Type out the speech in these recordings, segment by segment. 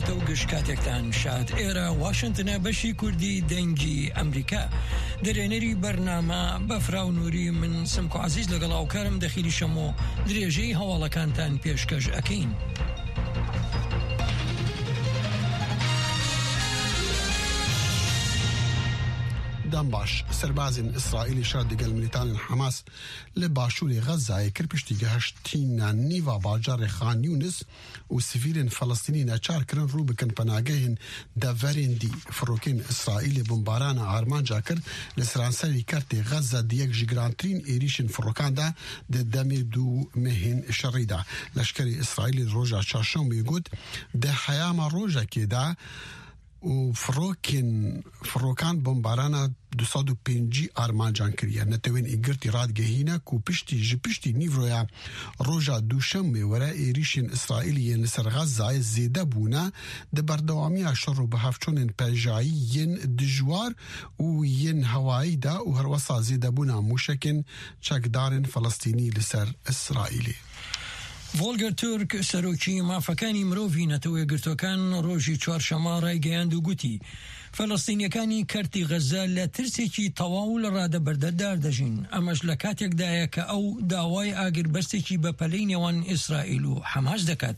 هەفتە و گشت کاتێکتان شاد. ئێرە واشنتنە بەشی کوردی دەنگی ئەمریکا. دەرێنەری بەرنامە بەفراو نوری من سمکۆ عەزیز لەگەڵ هاوکارم دەخیلی شەمۆ درێژەی هەواڵەکانتان پێشکەش ئەکەین. دەم باش سەربازên Îsraîlê şer digel milîtanên Hemas li başûrê Xezzayê kir piştî gehiştîna nîva bajarê Xan Yûnis û sivîlên Felestînî neçar kirin rû bikin penagehên deverên dî. Firokên Îsraîlê bombarana armanca kir li seranserî kertê Xezze di yek ji girantirîn êrîşên firokan de di demê du mehên şerî de. Leşkerê Îsraîlê di roja çarşembê got, Di heyama rojekê de û firokên firokan bombarana 250 armancan kiriye. Netewên Yekgirtî radigehîne ku piştî ji piştî nîvroya roja duşemê were êrîşên Îsraîlê yên li ser Xezzayê zêde bûne di berdewamiya şer û bihevçûnên pejayî yên dijwar û yên hewayî de û herwesa zêdebûna mûşekên çekdarên Felestînî li ser Îsraîlê. ڤۆڵگەر تورک، سەرۆکی مافەکانی مرۆڤی نەتەوەیەکگرتووەکان ڕۆژی چوارشەممە ڕایگەیاند و گوتی، فەلەستینییەکانی کەرتی غەززە لە ترسێکی تەواو لە ڕادەبەردەردار دەژین، ئەمەش لە کاتێکدایە کە ئەو داوای ئاگربەستێکی بەپەلەی نێوان ئیسرائیل و حەماس دەکات.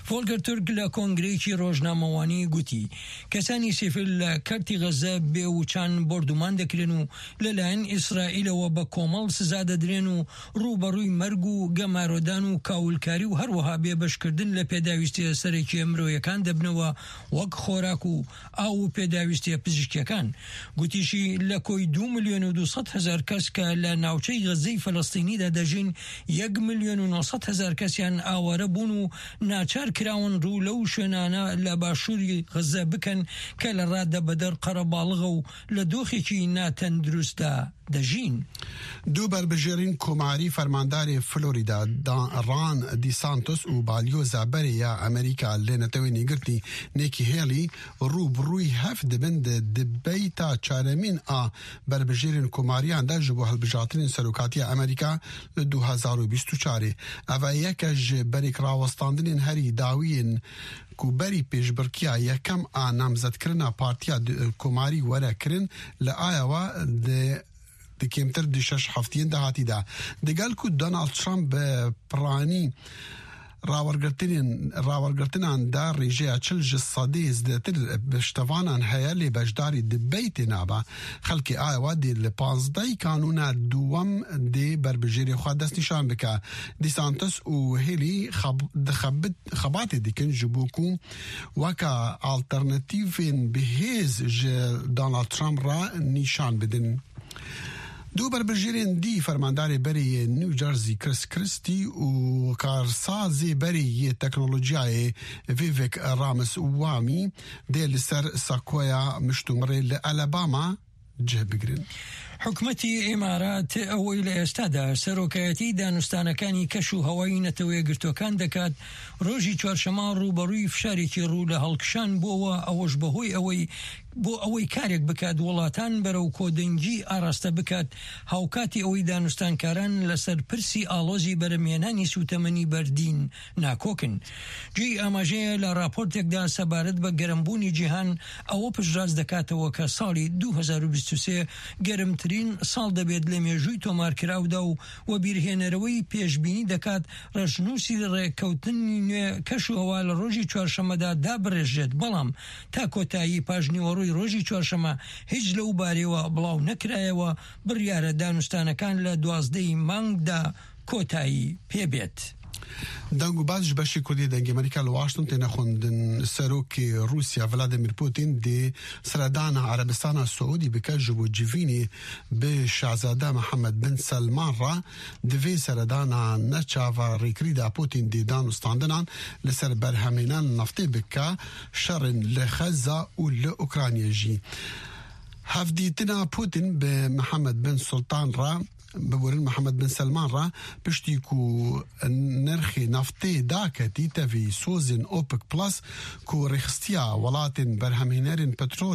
ڤۆڵگەر تورک لە کۆنگرەیەکی ڕۆژنامەوانی گوتی، کەسانی سیفیل لە کەرتی غەززە بێ وچان بۆردومان دەکرێن و لەلایەن ئیسرائیلەوە بە کۆمەڵ سزا دەدرێن و ڕووبەڕووی مەرگ و گەمارۆدان و کاولکاری و هەروەها بێبەشکردن لە پێداویستییە سەرەکییە مرۆیەکان دەبنەوە وەک خۆراک و ئاو و پێداویستییە پزیشکییەکان. گوتیشی، لە کۆی 2,200,000 کەس کە لە ناوچەی غەززەی فەلەستینیدا دەژین، 1,900,000 کەسیان ئاوارە بوون و ناچار کراون ڕوو لەو شوێنانە لە باشووری غەززە بکەن کە لە ڕادەبەدەر قەرەباڵغە و لە دۆخێکی ناتەندروستدا دەژین. دوو بەربژێرین کۆماری فەرماندارێ فلۆریدا ڕان دیسانتۆس و بالیۆزا بەرێ یا ئەمریکا لە نەتەوەی نێگرتنی نێکی هێڵی ڕوو بڕووی هەف دبن د دبەیتا چارەمین ئا بەربژێرین کۆماریاندا ji bo hilbijartinên serokatiya Amerîka li 2024 Ev yeke ji berêk rawestandinên herî dawiyên ku berî pêşbirkiya yekem a namzedkirina Partiya Komarî were kirin li Iowa di di kêmtir di şeş heftiyên dahatî de. Digel ku Donald Trump bi piranî rawergirtinên rawergirtinan de rêjeya 40 ji sedê zêdetir piştevanan heye lê beşdarî dibeytê nabe. Xelkê Iowa dê li 15 kanûna duwem dê berbijêrê xwe destnîşan bike. DeSantis û Haley dixebit xebatê dikin ji bo ku weka alternatîvên bihêz ji Donald Trump re nîşan bidin. Du berbijêrên dî fermandarê berê yê New Jersey Chris Christie û karsazê berê yê teknolojiyayê Vivek Ramaswamy dê li ser sakoya miştûmirê li Alabama cih bigirin. حکومەتی ئیمارات ئەوەی لە ئێستادا سەرۆکایەتی دانوستانەکانی کەش و هەوای نەتەوەیەکگرتووەکان دەکات، ڕۆژی چوارشەممە ڕووبەڕووی فشارێکی ڕوو لە هەڵکشان بووەوە، ئەوەش بەهۆی ئەوەی بۆ ئەوەی کارێک بکات وڵاتان بەرەو کۆدەنگی ئاراستە بکات، هاوکاتی ئەوەی دانوستانکاران لەسەر پرسی ئاڵۆزی بەرهەمهێنانی سووتەمەنی بەردین ناکۆکن. جێی ئاماژەیە لە ڕاپۆرتێکدا سەبارەت بە گەرمبوونی جیهان ئەوە پشتڕاست دەکاتەوە کە ساڵی 2023 گەرمترین ساڵ دەبێت لە مێژووی تۆمارکراودا و وەبیرهێنەرەوەی پێشبینی دەکات ڕەشنووسی ڕێککەوتنی نوێ کەشوهەوا لە ڕۆژی چوارشەممەدا دابڕێژرێت بەڵام تا کۆتایی پاشنیوەڕۆی ڕۆژی چوارشەممە هیچ لەو بارەیەوە بڵاو نەکرایەوە بڕیارە دانوستانەکان لە 12 ی مانگدا کۆتایی پێبێت. دەنگ و باس ji beşê Kurdî Dengê Amerîka li Washington têne xwendin. Serokê Rûsya Vladimir Putin dê seredana Erebistana Siûdî bike ji bo civînê bi Şahzade Mihemed bin Selman re. Di vê seredana neçava rêkirî de Putin dê dan û standinan li ser berhemênan neftê bike, şerên li Xezza û li Ukraynayê jî. Hevdîtina Putin bi Mihemed bin Sultan re Biborin Mihemed bin Selman re piştî ku nirxê naftê daketî tevî sozên OPEC Plus ku rêxistiya welatên berhemhênerên petrolê.